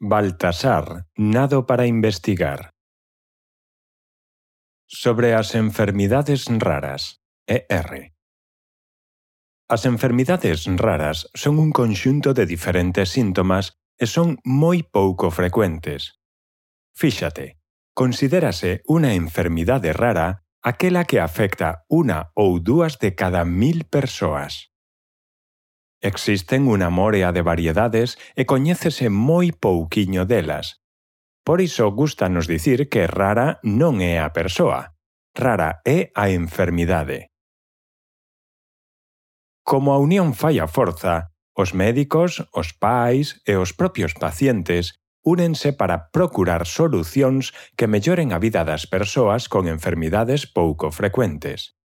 Baltasar, nado para investigar. Sobre as enfermidades raras, ER. As enfermidades raras son un conxunto de diferentes síntomas e son moi pouco frecuentes. Fíxate, considérase unha enfermidade rara aquela que afecta unha ou dúas de cada 1000 persoas. Existen unha morea de variedades e coñécese moi pouquiño delas. Por iso gústanos dicir que rara non é a persoa, rara é a enfermidade. Como a unión fai a forza, os médicos, os pais e os propios pacientes únense para procurar solucións que melloren a vida das persoas con enfermidades pouco frecuentes.